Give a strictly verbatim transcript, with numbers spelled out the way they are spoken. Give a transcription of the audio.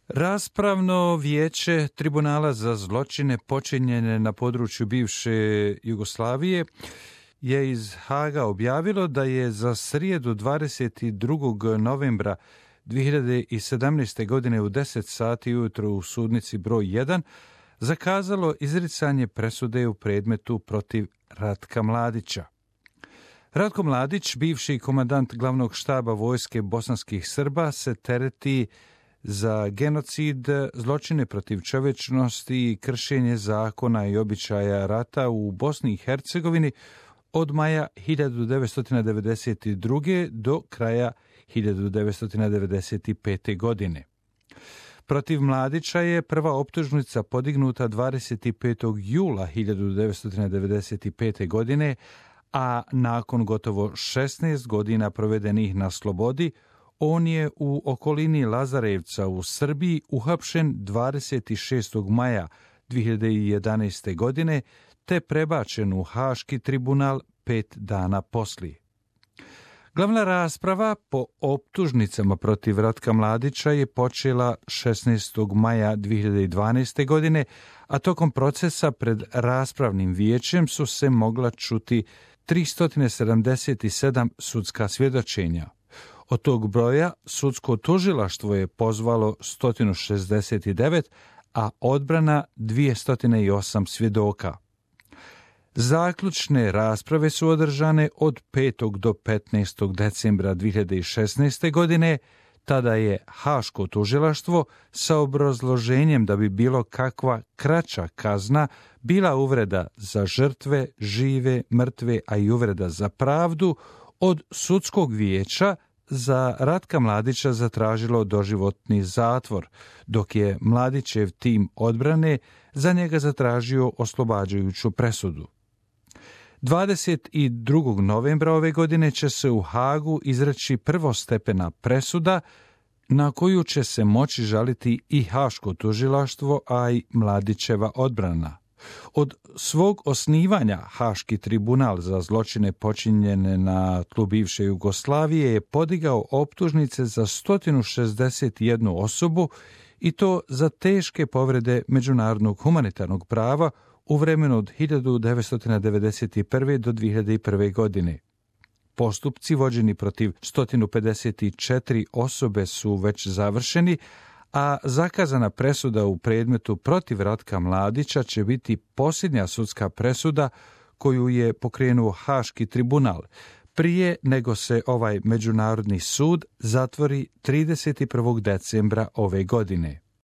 Raspravno vijeće Tribunala za zločine počinjene na području bivše Jugoslavije je iz Haga objavilo da je za srijedu dvadeset drugog novembra dvije hiljade sedamnaeste. godine u deset sati ujutro u sudnici broj jedan zakazalo izricanje presude u predmetu protiv Ratka Mladića. Ratko Mladić, bivši komandant glavnog štaba vojske bosanskih Srba, se tereti za genocid, zločine protiv čovječnosti i kršenje zakona i običaja rata u Bosni i Hercegovini od maja hiljadu devetsto devedeset druge. do kraja hiljadu devetsto devedeset pete. godine. Protiv Mladića je prva optužnica podignuta dvadeset petog jula hiljadu devetsto devedeset pete. godine, a nakon gotovo šesnaest godina provedenih na slobodi, on je u okolini Lazarevca u Srbiji uhapšen dvadeset šestog maja dvije hiljade jedanaeste. godine, te prebačen u Haški tribunal pet dana poslije. Glavna rasprava po optužnicama protiv Ratka Mladića je počela šesnaestog maja dvije hiljade dvanaeste. godine, a tokom procesa pred raspravnim vijećem su se mogla čuti tristo sedamdeset sedam sudska svjedočenja. Od tog broja sudsko tužilaštvo je pozvalo sto šezdeset devet, a odbrana dvjesto osam svjedoka. Zaključne rasprave su održane od petog do petnaestog decembra dvije hiljade šesnaeste. godine, tada je Haško tužilaštvo sa obrazloženjem da bi bilo kakva kraća kazna bila uvreda za žrtve, žive, mrtve, a i uvreda za pravdu, od sudskog vijeća za Ratka Mladića zatražilo doživotni zatvor, dok je Mladićev tim odbrane za njega zatražio oslobađajuću presudu. dvadeset drugog novembra ove godine će se u Hagu izreći prvostepena presuda na koju će se moći žaliti i Haško tužilaštvo, a i Mladićeva odbrana. Od svog osnivanja Haški tribunal za zločine počinjene na tlu bivše Jugoslavije je podigao optužnice za sto šezdeset jednu osobu, i to za teške povrede međunarodnog humanitarnog prava u vremenu od hiljadu devetsto devedeset prve. do dvije hiljade prve. godine. Postupci vođeni protiv sto pedeset četiri osobe su već završeni, a zakazana presuda u predmetu protiv Ratka Mladića će biti posljednja sudska presuda koju je pokrenuo Haški tribunal, prije nego se ovaj međunarodni sud zatvori trideset prvog decembra ove godine.